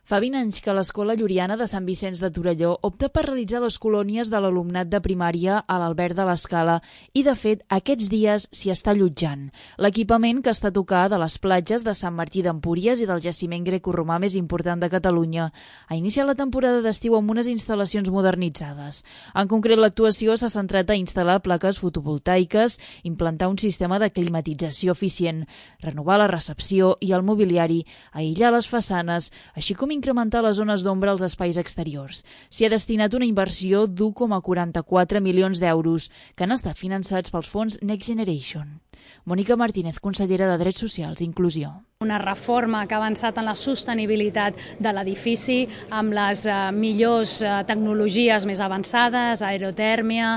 Fa 20 anys que l'Escola Lluriana de Sant Vicenç de Torelló opta per realitzar les colònies de l'alumnat de primària a l'Alberg de l'Escala i, de fet, aquests dies s'hi està allotjant. L'equipament, que està a tocar de les platges de Sant Martí d'Empúries i del jaciment grecoromà més important de Catalunya, ha iniciat la temporada d'estiu amb unes instal·lacions modernitzades. En concret, l'actuació s'ha centrat a instal·lar plaques fotovoltaiques, implantar un sistema de climatització eficient, renovar la recepció i el mobiliari, aïllar les façanes, així com incrementar les zones d'ombra als espais exteriors. S'hi ha destinat una inversió d'1,44 milions d'euros, que han estat finançats pels fons Next Generation. Mònica Martínez, consellera de Drets Socials i Inclusió. Una reforma que ha avançat en la sostenibilitat de l'edifici amb les millors tecnologies més avançades, aerotèrmia,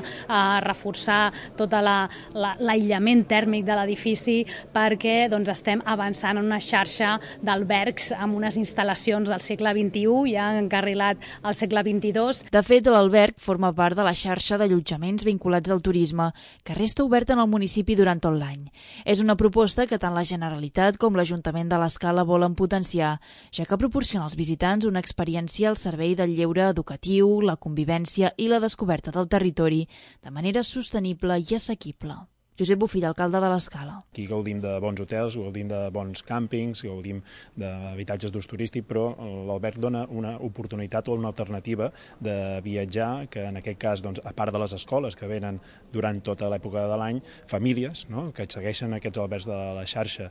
reforçar tot l'aïllament tèrmic de l'edifici perquè estem avançant en una xarxa d'albergs amb unes instal·lacions del segle XXI, ja encarrilat al segle XXII. De fet, l'alberg forma part de la xarxa d'allotjaments vinculats al turisme, que resta oberta en el municipi durant tot l'any. És una proposta que tant la Generalitat com l'Ajuntament de l'Escala volen potenciar, ja que proporciona als visitants una experiència al servei del lleure educatiu, la convivència i la descoberta del territori de manera sostenible i assequible. Josep Bofill, alcalde de l'Escala. Aquí gaudim de bons hotels, gaudim de bons càmpings, gaudim d'habitatges d'ús turístic, però l'alberg dona una oportunitat o una alternativa de viatjar, que en aquest cas, a part de les escoles que venen durant tota l'època de l'any, famílies que segueixen aquests albergs de la xarxa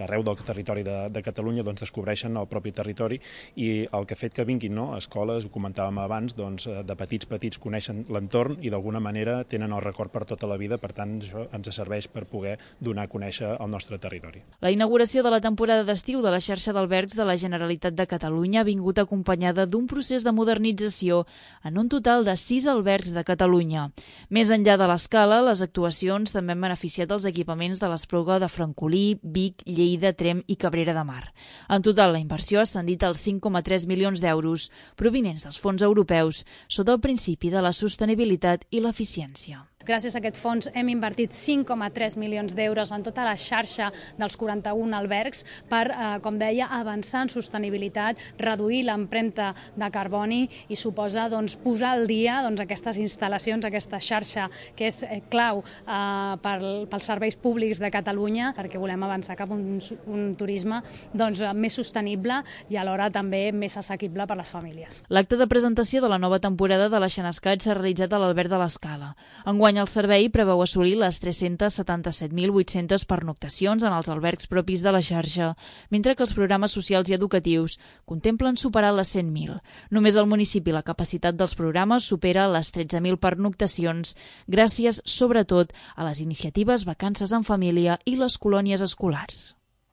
arreu del territori de Catalunya, descobreixen el propi territori i el que ha fet que vinguin escoles, ho comentàvem abans, de petits coneixen l'entorn i d'alguna manera tenen el record per tota la vida, per tant això ens serveix per poder donar a conèixer el nostre territori. La inauguració de la temporada d'estiu de la xarxa d'albergs de la Generalitat de Catalunya ha vingut acompanyada d'un procés de modernització en un total de 6 albergs de Catalunya. Més enllà de l'Escala, les actuacions també han beneficiat els equipaments de l'Espluga de Francolí, Vic, Lleida, Tremp i Cabrera de Mar. En total, la inversió ha ascendit als 5,3 milions d'euros, provinents dels fons europeus, sota el principi de la sostenibilitat i l'eficiència. Gràcies a aquest fons hem invertit 5,3 milions d'euros en tota la xarxa dels 41 albergs per, com deia, avançar en sostenibilitat, reduir l'empremta de carboni i suposa posar al dia aquestes instal·lacions, aquesta xarxa que és clau pels serveis públics de Catalunya, perquè volem avançar cap a un turisme més sostenible i alhora també més assequible per a les famílies. L'acte de presentació de la nova temporada de la Xenescat s'ha realitzat a l'Alberg de l'Escala. Enguany el servei preveu assolir les 377.800 pernoctacions en els albergs propis de la xarxa, mentre que els programes socials i educatius contemplen superar les 100.000. Només al municipi la capacitat dels programes supera les 13.000 pernoctacions, gràcies, sobretot, a les iniciatives Vacances en Família i les colònies escolars.